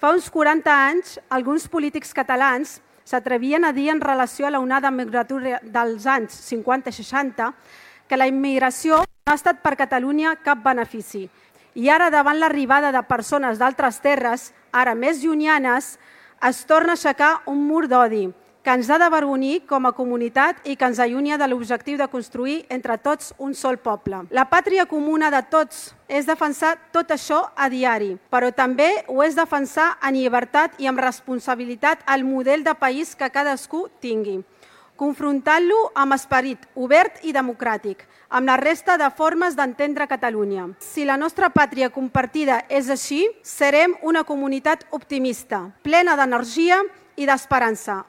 Fa uns 40 anys, alguns polítics catalans s'atrevien a dir en relació a l'onada migratori dels anys 50 i 60 que la immigració no ha estat per Catalunya cap benefici. I ara, davant l'arribada de persones d'altres terres, ara més llunyanes, es torna a aixecar un mur d'odi que ens ha d'avergonyir com a comunitat i que ens allunya de l'objectiu de construir entre tots un sol poble. La pàtria comuna de tots és defensar tot això a diari, però també ho és defensar en llibertat i amb responsabilitat el model de país que cadascú tingui, confrontant-lo amb esperit obert i democràtic, amb la resta de formes d'entendre Catalunya. Si la nostra pàtria compartida és així, serem una comunitat optimista, plena d'energia i d'esperança,